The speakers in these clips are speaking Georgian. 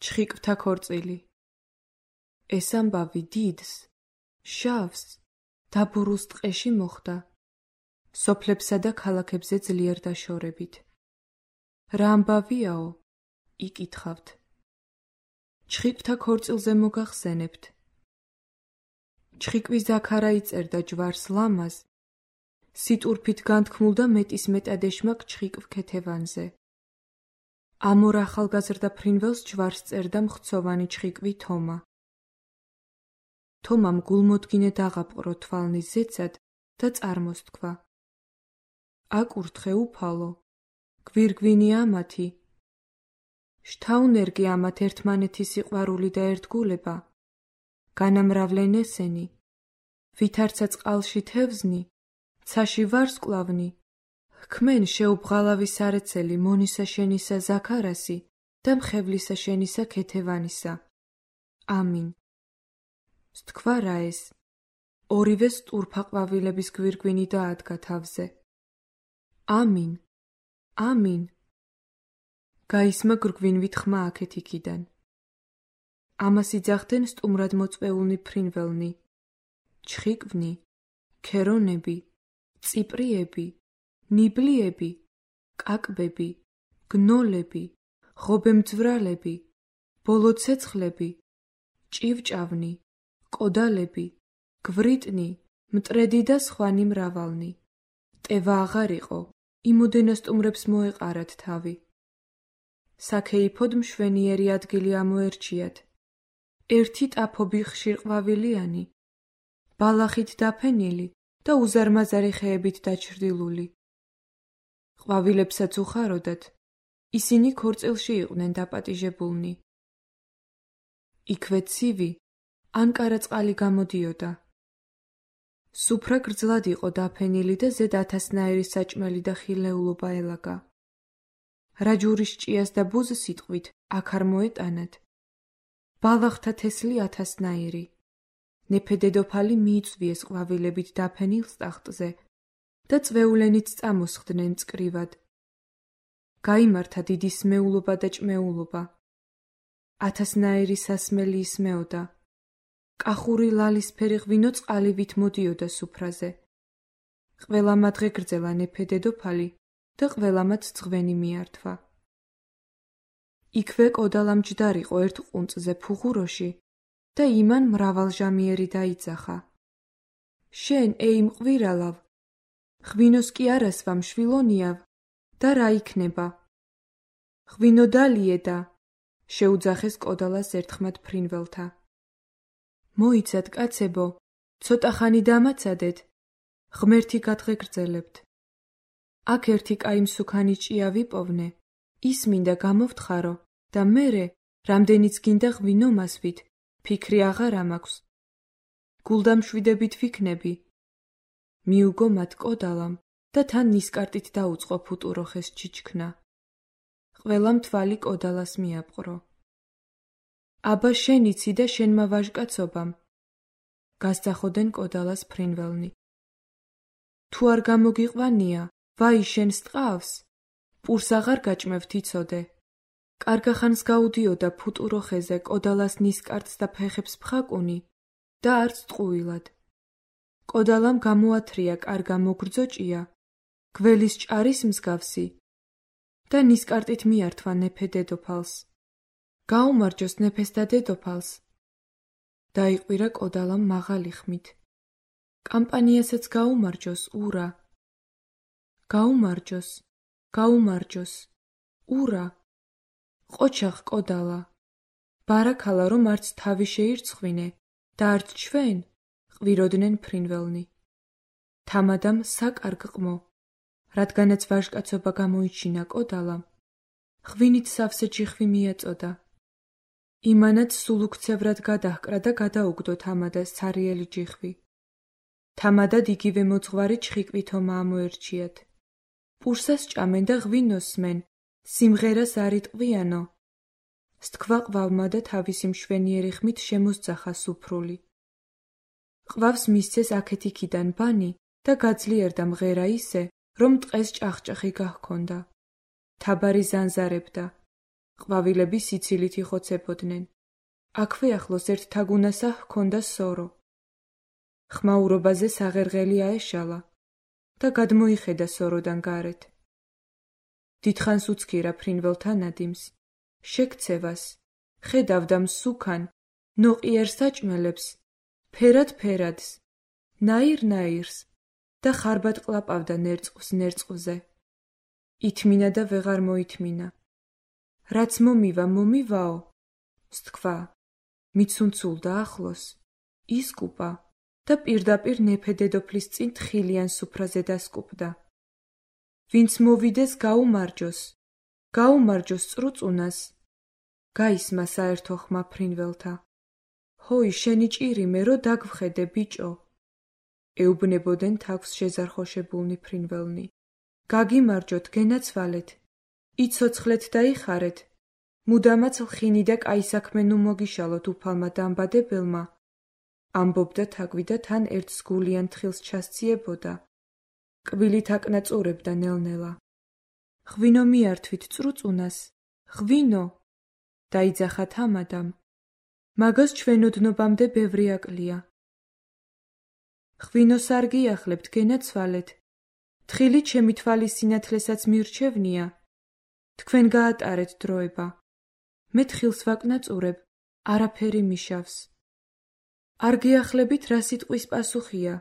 ჩხიკვთა ქორწილი. ეს ამბავი დიდს, შავს, დაბურულს ტყეში მოხვდა, სოფლებსა და ქალაქებზე ძლიერ დაშორებით. რა ამბავიაო? იკითხავთ. ჩხიკვთა ქორწილზე მოგახსენებთ. ჩხიკვი ზაქარა იწერდა ჯვარს ლამაზ, სიტურფით განთქმულდა მეტის მეტად ეშმაკ ჩხიკვ ქეთევანზე. ამორ ახალგაზრდა ფრინველს ჯვარს წერდა მხცოვანი ჩხიკვი თომა. თომამ გულმოდგინე დაღაპყრო თვალნის ზეცად და წარმოსთქვა. აკურთხე უფალო, გვირგვინია ამათი. შთაუნერგი ამათ ერთმანეთის სიყვარული და ერთგულება. განამრავლენ ესენი, ვითარცა წყალში თევზნი, ცაში ვარსკვლავნი, ჰქმენ შეუბღალავი სარეცელი მონისა შენისა ზაქარასი და მხევლისა შენისა ქეთევანისა. ამინ. სთქვა რა ეს, ორივე სტურფა ყვავილების გვირგვინი დაადგა თავზე. ამინ, ამინ. გაისმა გვირგვინვით ხმა აქეთ იქიდან. ამას იძახდნენ სტუმრად მოწვეულნი ფრინველნი, ჩხიკვნი, ქერონები, წიპრიები, ნიბლიები, კაკბები, გნოლები, ღობემძვრალები, ბოლოცეცხლები, ჭივჭავნი, კოდალები, გვრიტნი, მტრედი და სხვანი მრავალნი. ტევა აღარ იყო, იმოდენა სტუმრებს მოეყარათ თავი. საქეიფოდ მშვენიერი ადგილი ამოერჩიათ. ერთი ტაფობი ხშირ ყვავილიანი, ბალახით დაფენილი და უზარმაზარი ხეებით დაჩრდილული. ყვავილებსაც უხაროდათ, ისინი ქორწილში იყვნენ დაპატიჟებულნი. იქვე ცივი, ანკარა წყალი გამოდიოდა. სუფრა გრძლად იყო დაფენილი და ზედ ათასნაირი საჭმელი და ხილეულობა ელაგა. რა ჯურის ჭიას და ბუზ სიტყვით აქ არ მოეტანათ. ბალახთა თესლი ათასნაირი. ნეფე დედოფალი მიიწვიეს ყვავილებით დაფენილ ტახტზე და წვეულენით წამოსხდნენ წკრივად. გაიმართა დიდი სმეულობა და ჭმეულობა. ათასნაირი სასმელი ისმეოდა. კახური ლალისფერი ღვინო წყალივით მოდიოდა სუფრაზე. ყველა მადღე გრძელა ნეფე დედოფალი და ყველამაც ძღვენი მიართვა. იქვე კოდალა მჯდარიყო ერთ ყუნწზე ფუღუროში და იმან მრავალჟამიერი დაიძახა. შენ, ეი მყვირალავ, ღვინოს კი არასვა მშვილონიავ და რა იქნება? ღვინო დალიედა, შეუძახეს კოდალას ერთხმად ფრინველთა. მოიცად, კაცებო, ცოტა ხანი დამაცადეთ, ღმერთი გადღეგრძელებთ. აქ ერთი კაი მსუქანი ჭია ვიპოვნე, ის მინდა გამოვთხარო და მერე, რამდენიც გინდა ღვინო მასვით, ფიქრი აღარ ამაქვს. გულდამშვიდებით ვიქნები. მიუგო მათ კოდალამ და თან ნისკარტით დაუწყო ფუტუროხეს ჩიჩქნა. ყველამ თვალი კოდალას მიაპყრო. აბა შენ იცი და შენმა ვაჟკაცობამ. გასძახოდენ კოდალას ფრინველნი. თუ არ გამოგიყვანია, ვაი შენს ტყავს, პურს აღარ გაჭმევთ იცოდე. კარგახანს გაუდიოდა ფუტუროხეზე კოდალას ნისკარტს და ფეხებს ფხაკუნი და არც ტყუილად. კოდალამ გამოათრია კარგა მოგრძო ჭია, გველის ჭარის მსგავსი და ნისკარტით მიართვა ნეფე დედოფალს. გაუმარჯოს ნეფეს და დედოფალს. დაიყვირა კოდალამ მაღალი ხმით. კამპანიასაც გაუმარჯოს, ურა. გაუმარჯოს, გაუმარჯოს, ურა. ყოჩახ კოდალა. ბარაქალა რომ არც თავი შეირცხვინე და არც ჩვენ, ყვიროდნენ ფრინველნი. თამადამ საკარგ ყმო, რადგანაც ვაჟკაცობა გამოიჩინა კოდალამ, ღვინით სავსე ჯიხვი მიაწოდა. იმანაც სულ უქცევრად გადაჰკრა და გადაუგდო თამადას ცარიელი ჯიხვი. თამადად იგივე მოძღვარი ჩხიკვი თომა ამოერჩიათ. პურსას ჭამენ და ღვინოს სმენ, სიმღერას არ იტყვიანო. სთქვა ყვავმა და თავისი მშვენიერი ხმით შემოსძახა სუფრული. ყვავს მისცეს აქეთ იქიდან ბანი და გაძლიერდა მღერა ისე, რომ ტყეს ჭახჭახი გაჰქონდა. თაბარი ზანზარებდა. ყვავილები სიცილით იხოცებოდნენ. აქვე ახლოს ერთ თაგუნასა ჰქონდა სორო. ხმაურობაზე საღერღელი აეშალა და გადმოიხედა სოროდან გარეთ. დიდხანს უცქირა ფრინველთა ნადიმს, შექცევას, ხედავდა მსუქან, ნოყიერ საჭმელებს, ფერად-ფერადს, ნაირ-ნაირს და ხარბად ყლაპავდა ნერწყვის ნერწყვზე. ითმინა და ვეღარ მოითმინა. რაც მომივა, მომივაო, სთქვა, მიცუნცულდა ახლოს, ისკუპა და პირდაპირ ნეფე დედოფლის წინ თხილიან სუფრაზე დასკუპდა. ვინც მოვიდეს გაუმარჯოს წრუწუნას, გაისმა საერთო ხმა ფრინველთა. ჰოი, შენი ჭირიმე, რო დაგვხედე, ბიჭო. ეუბნებოდნენ თავს შეზარხოშებულნი ფრინველნი. გაგიმარჯოთ, გენაცვალეთ, იცოცხლეთ და იხარეთ, მუდამაც ლხინი და კაი საქმე ნუ მოგიშალოთ უფალმა დამბადებელმა. ამბობდა თაგვი და თან ერთ სგულიან თხილს ჩასციებოდა. კბილით აკნაწურებდა ნელ-ნელა. ღვინო მიართვით წრუწუნას, ღვინო! დაიძახა თამადამ. მაგას ჩვენ ოდნობამდე ბევრი აკლია. ღვინოს არ გიახლებთ, გენაცვალეთ. თხილი ჩემი თვალის სინათლესაც მირჩევნია. თქვენ გაატარეთ დროება. მე თხილს ვაკნაწურებ, არაფერი მიშავს. არ გიახლებით რა სიტყვის პასუხია.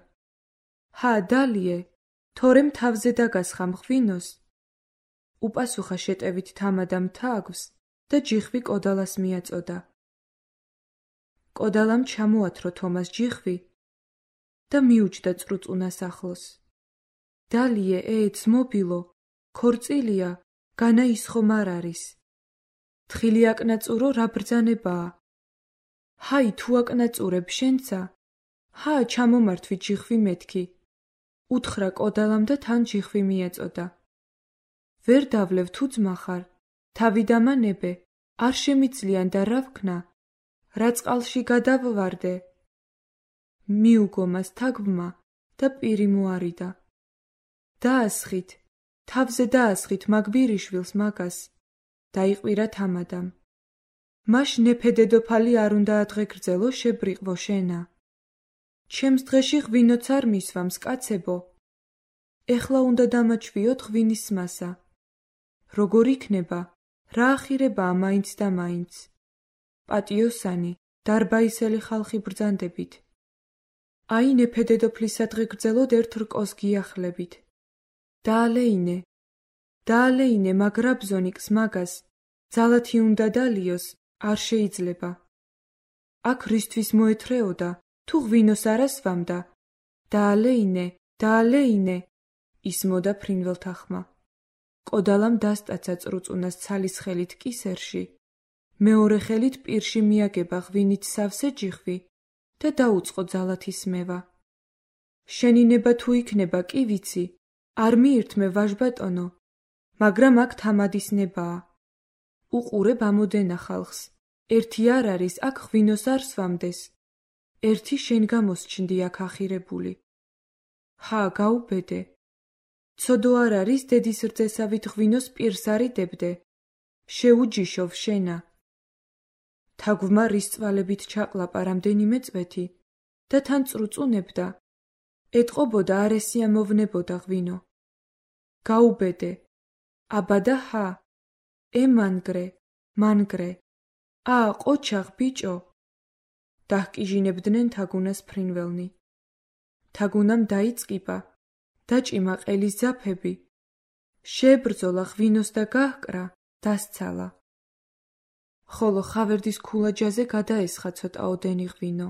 ჰა, დალიე, თორემ თავზე დაგასხამ ღვინოს. უპასუხა შეტევით თამადამ თაგვს და ჯიხვი კოდალას მიაწოდა. კოდალამ ჩამოათრო თომას ჯიხვი და მიუჯდა წრუწუნას ახლოს. დალიე, ძმობილო, ქორწილია, განა ის ხომ არ არის. თხილი აკნაწურო, რა ბრძანებაა. ჰაი, თუ აკნაწურებ შენცა, ჰა, ჩამომართვით ჯიხვი მეთქი. უთხრა კოდალამ და თან ჯიხვი მიაწოდა. ვერ დავლევ თუ ძმა ხარ, თავი დამანებე, არ შემიძლიან და რა ვქნა, რა წყალში გადავვარდე. მიუგო მას თაგვმა და პირი მოარიდა. დაასხით, თავზე დაასხით მაგვირიშვილს მაგას, დაიყვირა თამადამ. მაშ ნეფე დედოფალი არ უნდა ადღეგრძელო, შებრიყვო შენა. ჩემს დღეში ღვინოც არ მისვამს, კაცებო. ეხლა უნდა დამაჩვიოთ ღვინის მასა. როგორ იქნება, რა ახირებაა მაინც და მაინც. პატიოსანი, დარბაისელი ხალხი ბრძანდებით. აი ნეფე დედოფლის სადღეგრძელოდ ერთ რკოს გიახლებით. დაალეინე, მაგრა ბზონიკს მაგას, ძალათი უნდა დალიოს, არ შეიძლება. აქ რისთვის მოეთრეოდა, თუ ღვინოს არ ასვამდა. დაალეინე, ისმოდა ფრინველთა ხმა. კოდალამ დასტაცა წრუწუნას ცალის ხელით კისერში, მეორე ხელით პირში მიაგება ღვინით სავსე ჯიხვი და დაუწყო ძალათის მევა. შენი ნება თუ იქნება, კი ვიცი, არ მიირთმე ვაჟბატონო, მაგრამ აქ თამადის ნებაა. უყურებ ამოდენა ხალხს, ერთი არ არის, აქ ღვინოს არ სვამდეს. ერთი შენ გამოსჩნდი აქ ახირებული. ჰა, გაუბედე. ცოდო არ არის დედის რძესავით ღვინოს პირს არიდებდე. შეუჯიშოვ შენა. თაგვმა რისწვალებით ჩაყლაპა რამდენიმე წვეთი და თან წრუწუნებდა. ეტყობოდა არ ესიამოვნებოდა ღვინო. გაუბედე. აბა და ჰა. მანგრე. ყოჩაღ, ბიჭო. დაჰკიჟინებდნენ თაგუნას ფრინველნი. თაგუნამ დაიწყიბა, დაჭიმა ყელის ძაფები. შეებრძოლა ღვინოს და გაჰკრა, დასცალა. ხოლო ხავერდის ქულაჯაზე გადაესხა ცოტაოდენი ღვინო.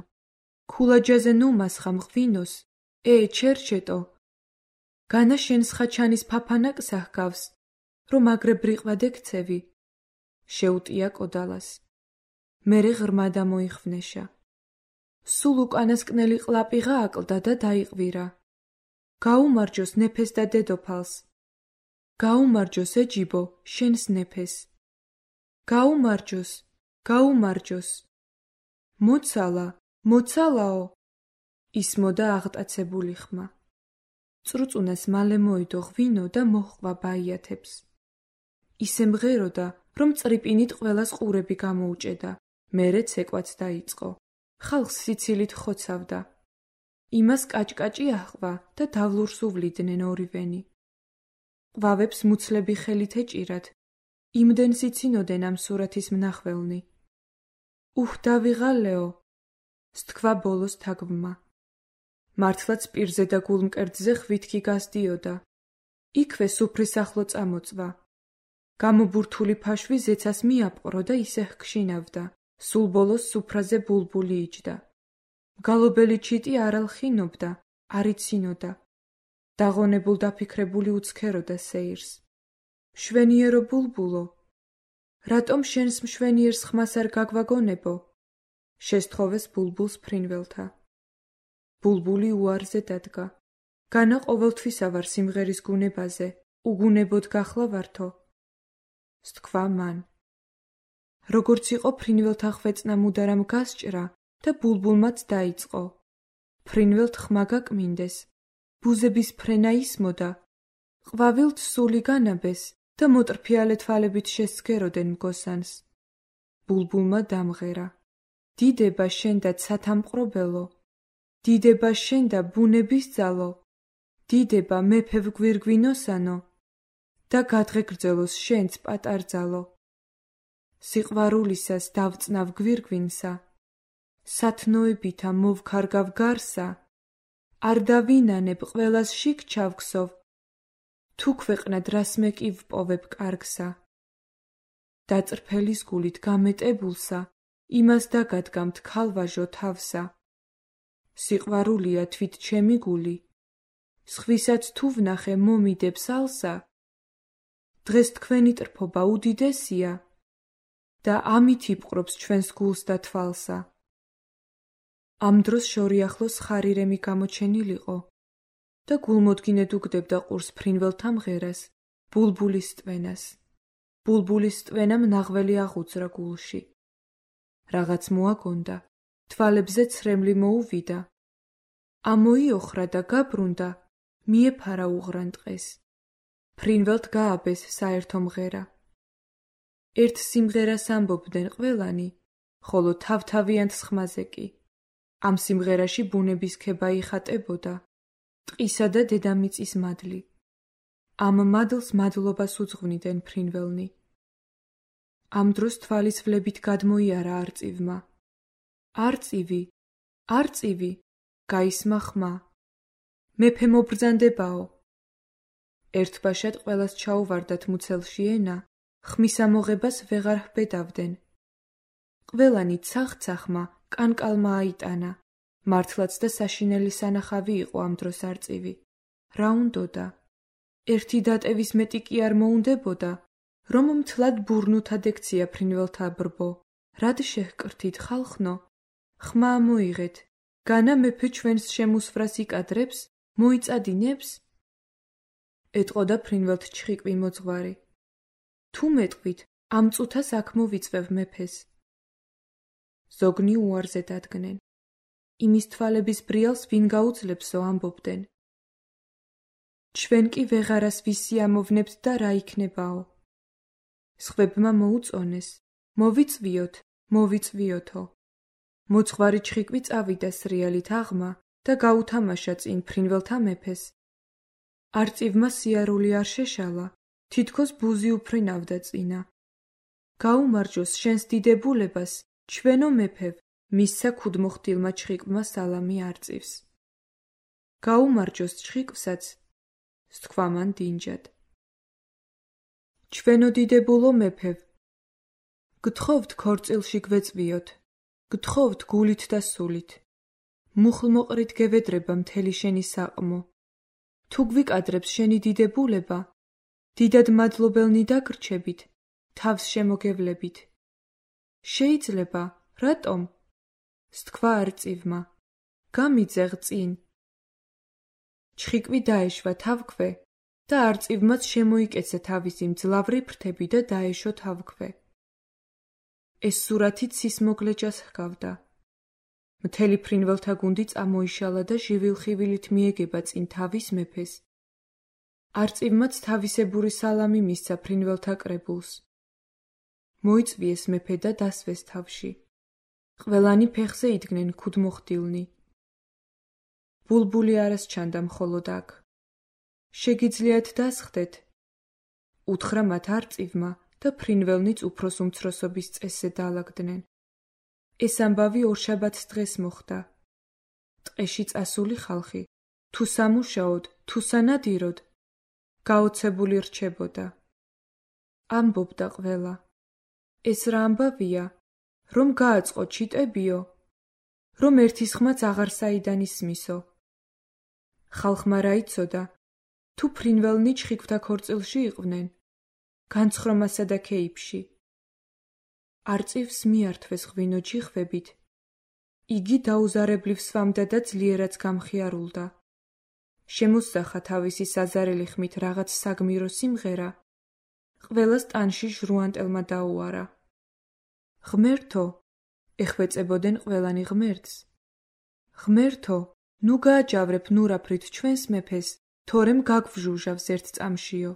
ქულაჯაზე ნუ მასხამ ღვინოს, ჩერჩეტო. განა შენ სხაჩანის ფაფანაკსა ჰგავს, რომ აგრებრიყვად ექცევი. შეუტია კოდალას. მერე ღრმა დამოიხვნეშა. სულ უკანასკნელი ყლაპი გააკლდა და დაიყვირა. გაუმარჯოს ნეფეს და დედოფალს. გაუმარჯოს ეჯიბო, შენს ნეფეს. გაუმარჯოს. მოცალაო, ისმოდა აღტაცებული ხმა. წრუწუნას მალე მოიდო ღვინო და მოჰყვა ბაიათებს. ისე მღეროდა, რომ წრიპინით ყველას ყურები გამოუჭედა. მერე ცეკვაც დაიწყო. ხალხს სიცილით ხოცავდა. იმას კაჭკაჭი აჰყვა და დავლურს უვლიდნენ ორივენი. ყვავებს მუცლები ხელით ეჭირათ. იმდენს იცინოდნენ ამ სურათის მნახველნი. დავიღალეო, სთქვა ბოლოს თაგვმა. მართლაც პირზე და გულმკერდზე ხვითქი გასდიოდა. იქვე სუფრის ახლო წამოწვა. გამობურთული ფაშვი ზეცას მიაპყრო და ისე ჰქშინავდა. სულ ბოლოს სუფრაზე ბულბული იჯდა. მგალობელი ჩიტი არ ალხინობდა, არ იცინოდა. დაღონებულ დაფიქრებული უცქეროდა სეირს. მშვენიერო ბულბულო, რატომ შენს მშვენიერს ხმას არ გაგვაგონებო? შესთხოვეს ბულბულს ფრინველთა. ბულბული უარზე დადგა. განა ყოველთვისა ვარ სიმღერის გუნებაზე, უგუნებოდ გახლავართო. სთქვა მან. როგორც იყო ფრინველთა ხვეწნა მუდარამ გასჭრა და ბულბულმაც დაიწყო. ფრინველთ ხმა გაკმინდეს. ბუზების ფრენა ისმოდა. ყვავილთ სული განაბეს და მოტრფიალე თვალებით შესცქეროდენ მგოსანს. ბულბულმა დამღერა. დიდება შენ და ცათამყრობელო. დიდება შენ და ბუნების ძალო. დიდება მეფევ გვირგვინოსანო და გადღეგრძელოს შენც პატარძალო. სიყვარულისას დავწნავ გვირგვინსა, სათნოებითა მოვქარგავ გარსა, არ დავინანებ ყველას შიგ ჩავქსოვ, თუ ქვეყნად რას მეკი ვპოვებ კარგსა. დაწრფელის გულით გამეტებულსა, იმას დაგადგამთ ქალვაჟო თავსა. სიყვარულია თვით ჩემი გული, სხვისაც თუ ვნახე მომიდებს ალსა. დღეს თქვენი ტრფობა უდიდესია და ამით იპყრობს ჩვენს გულს და თვალსა. ამ დროს შორიახლოს ხარირემი გამოჩენილიყო და გულმოდგინედ უგდებდა ყურს ფრინველთა მღერას, ბულბულის ტვენას. ბულბულის ტვენამ ნაღველი აღუძრა გულში. რაღაც მოაგონდა, თვალებზე ცრემლი მოუვიდა. ამოიოხრა და გაბრუნდა, მიეფარა უღრან ტყეს. ფრინველთ გააბეს საერთო მღერა. ერთ სიმღერას ამბობდნენ ყველანი, ხოლო თავთავიანთ ხმაზე კი. ამ სიმღერაში ბუნების ქება იხატებოდა, ტყისა და დედამიწის მადლი. ამ მადლს მადლობას უძღვნიდნენ ფრინველნი. ამ დროს თვალისვლებით გადმოიარა არწივმა. არწივი, არწივი, გაისმა ხმა. მეფე მობრძანდებაო. ერთბაშად ყველას ჩაუვარდათ მუცელში ენა, ხმის ამოღებას ვეღარ ჰბედავდნენ. ყველანი ცახ-ცახმა კანკალმა აიტანა. მართლაც და საშინელი სანახავი იყო ამ დროს არწივი. რა უნდოდა? ერთი დატევის მეტი კი არ მოუნდებოდა, რომ მთლად ბურნუთად ექცია ფრინველთა ბრბო. რად შეჰკრთით ხალხნო? ხმა მოიღეთ, განა მეფე ჩვენს შემუსვრას იკადრებს, მოიწადინებს? ეტყოდა ფრინველთ ჩხიკვი მოძღვარი. თუ მეტყვით, ამ წუთას აქ მოვიწვევ მეფეს. ზოგნი უარზე დადგნენ. იმის თვალების ბრიალს ვინ გაუძლებსო ამბობდნენ. ჩვენ კი ვეღარას ვისიამოვნებთ და რა იქნებაო. სხვებმა მოუწონეს, მოვიწვიოთ, მოვიწვიოთო. მოძღვარი ჩხიკვი წავიდა სრიალით აღმა და გაუთამაშა წინ ფრინველთა მეფეს. არწივმა სიარული არ შეშალა, თითქოს ბუზი უფრინავდა წინა. გაუმარჯოს შენს დიდებულებას, ჩვენო მეფევ, მისცა ქუდმოხდილმა ჩხიკვმა სალამი არწივს. გაუმარჯოს ჩხიკვსაც, სთქვა მან დინჯად. ჩვენო დიდებულო მეფევ, გთხოვთ ქორწილში გვეწვიოთ, გთხოვთ გულით და სულით. მუხლმოყრით გევედრება მთელი შენი საყმო. თუ გვიკადრებს შენი დიდებულება, დიდად მადლობელნი დაგრჩებით, თავს შემოგევლებით. შეიძლება, რატომ? სთქვა არწივმა. გამიძეღ წინ. ჩხიკვი დაეშვა თავქვე და არწივმაც შემოიკეცა თავისი მძლავრი ფრთები და დაეშო თავქვე. ეს სურათი ცისმოგლეჯას ჰგავდა. მთელი ფრინველთა გუნდი წამოიშალა და ჟივილხივილით მიეგება წინ თავის მეფეს. არწივმაც თავისებური სალამი მისცა ფრინველთა კრებულს. მოიწვიეს მეფე და დასვეს თავში. ყველანი ფეხზე იდგნენ ქუდმოხდილნი. ბულბული არას ჩანდა მხოლოდ აქ. შეგიძლიათ დასხდეთ, უთხრა მათ არწივმა და ფრინველნიც უფროს უმცროსობის წესზე დაალაგდნენ. ეს ამბავი ორშაბათს დღეს მოხდა. ტყეში წასული ხალხი, თუ სამუშაოდ, თუ სანადიროდ, გაოცებული რჩებოდა. ამბობდა ყველა. ეს რა ამბავია, რომ გააწყო ჩიტებიო, რომ ერთის ხმაც აღარ საიდან ისმისო. ხალხმა რა იცოდა, თუ ფრინველნი ჩხიკვთა ქორწილში იყვნენ, განცხრომასა და ქეიფში. არწივს მიართვეს ღვინო ჯიხვებით. იგი დაუზარებლივ სვამდა და ძლიერაც გამხიარულდა. შემოსძახა თავისი საზარელი ხმით რაღაც საგმირო სიმღერა. ყველას ტანში ჟრუანტელმა დაუარა. ღმერთო, ეხვეწებოდნენ ყველანი ღმერთს. ღმერთო, ნუ გააჯავრებ ნურაფრით ჩვენს მეფეს, თორემ გაგვჟუჟავს ერთ წამშიო.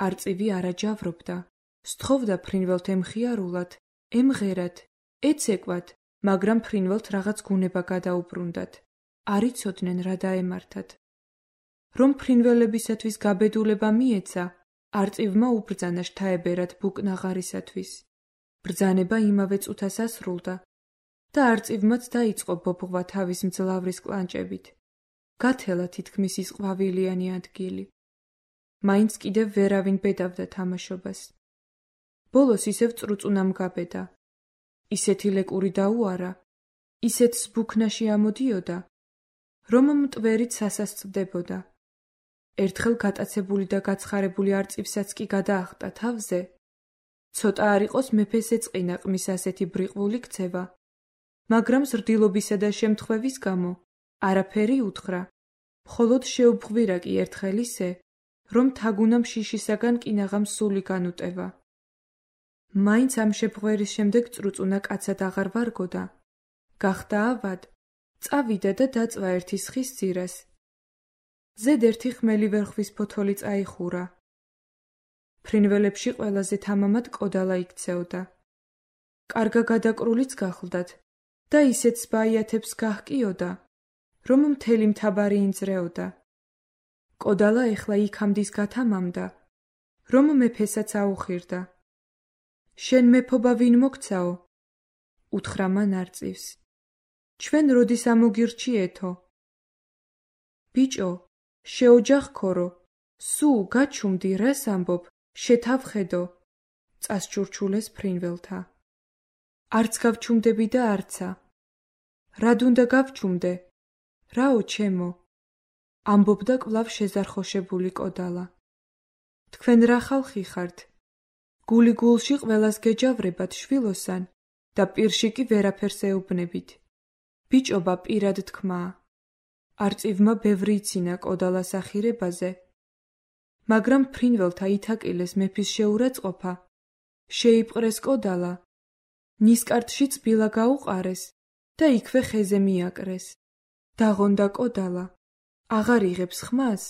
არწივი არ აჯავრობდა, სთხოვდა ფრინველთ ემხიარულათ, ემღერათ, ეცეკვათ, მაგრამ ფრინველთ რაღაც გუნება გადაუბრუნდათ. არ იცოდნენ რა დაემართათ. რომ ფრინველებისათვის გაბედულება მიეცა, არწივმა უბრძანა შთაებერად ბუკნაღარისათვის. ბრძანება იმავე წუთას ასრულდა და არწივმაც დაიწყო ბობღვა თავის მძლავრის კლანჭებით. გათელა თითქმის ის ყვავილიანი ადგილი. მაინც კიდევ ვერავინ ბედავდა თამაშობას. ბოლოს ისევ წრუწუნამ გაბედა. ისეთი ლეკური დაუარა, ისეთ სბუქნაში ამოდიოდა, რომ მტვერით სასასწდებოდა. ერთხელ გატაცებული და გაცხარებული არწივსაც კი გადაახტა თავზე. ცოტა არ იყოს მეფეს ეწყინა ყმის ასეთი ბრიყვული ქცევა, მაგრამ ზრდილობისა და შემთხვევის გამო არაფერი უთხრა, მხოლოდ შეუბღვირა კი ერთხელ ისე, რომ თაგუნამ შიშისაგან კინაღამ სული განუტევა. მაინც ამ შეფღვერის შემდეგ წრუწუნა კაცად აღარ ვარგოდა. გახდა ავად, წავიდა და დაწვა ერთი სხის ძირას. ზედ ერთი ხმელი ვერხვის ფოთოლი წაიხურა. ფრინველებში ყველაზე თამამად კოდალა იქცეოდა. კარგა გადაკრულიც გახლდათ და ისეთ ბაიათებს გაჰკიოდა, რომ მთელი მთაბარი ინძრეოდა. კოდალა ეხლა იქამდის გათამამდა, რომ მეფესაც აუხირდა. შენ მეფობა ვინ მოგცაო? უთხრა მან არწივს. ჩვენ როდის ამოგირჩიეთო? ბიჭო, შეოჯახ ქორო, სუ გაჩუმდი რას ამბობ, შეთავხედო, წასჩურჩულეს ფრინველთა. არც გავჩუმდები და არცა. რად უნდა გავჩუმდე? რაო ჩემო? ამბობდა კვლავ შეზარხოშებული კოდალა. თქვენ რა ხალხი ხართ? გული გულში ყველას გეჯავრებათ შვილოსან და პირში კი ვერაფერს ეუბნებით. ბიჭობა პირად თქმაა. არწივმა ბევრი იცინა კოდალას ახირებაზე, მაგრამ ფრინველთა ითაკილეს მეფის შეურაცხყოფა, შეიპყრეს კოდალა, ნისკარტში წბილა გაუყარეს და იქვე ხეზე მიაკრეს. დაღონდა კოდალა, აღარ იღებს ხმას,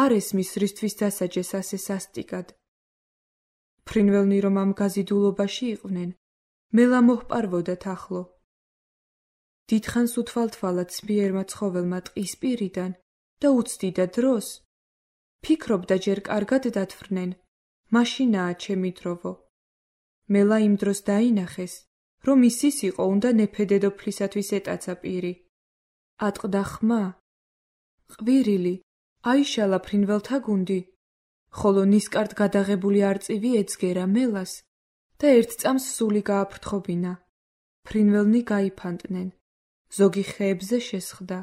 არ ესმის რისთვის დასაჯეს ასე სასტიკად. ფრინველნი რომ ამ გაზიდულობაში იყვნენ, მელა მოჰპარვოდათ ახლო. დიდხანს უთვალთვალა ცბიერმა ცხოველმა ტყის პირიდან და უცდიდა დროს. ფიქრობდა ჯერ კარგად დათვრნენ, მაშინაა ჩემი დროვო. მელა იმ დროს დაინახეს, რომ ისის იყო უნდა ნეფედედოფლისათვის ეტაცა პირი. ატყდა ხმა. ყვირილი, აიშალა ფრინველთა გუნდი, ხოლო ნისკარტ გადაღებული არწივი ეძგერა მელას და ერთ წამს სული გააფრთხობინა. ფრინველნი გაიფანტნენ. ზოგი ხეებზე შესხდა,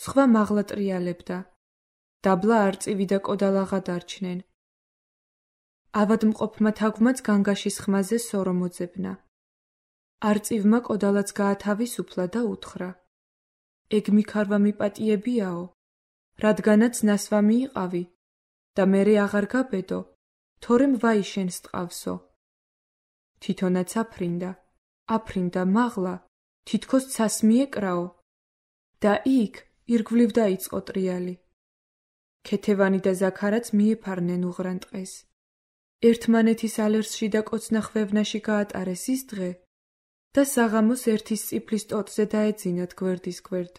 სხვა მაღლა ტრიალებდა. დაბლა არწივი და კოდალა გადარჩნენ. ავადმყოფმა თაგვმაც განგაშის ხმაზე სორო მოძებნა. არწივმა კოდალაც გაათავისუფლა და უთხრა. ეგ მიქარვა მიპატიებიაო, რადგანაც ნასვამი იყავი და მერე აღარ გაბედო, თორემ ვაიშენს ტყავსო. თვითონაც აფრინდა მაღლა, თითქოს ცას მიეკრაო და იქ ირგვლივ დაიწყო ტრიალი. ქეთევანი და ზაქარაც მიეფარნენ უღრან ტყეს. ერთმანეთის ალერსში და კოცნა ხვევნაში გაატარეს ის დღე და საღამოს ერთის წიფლის ტოტზე დაეძინათ გვერდის გვერდ.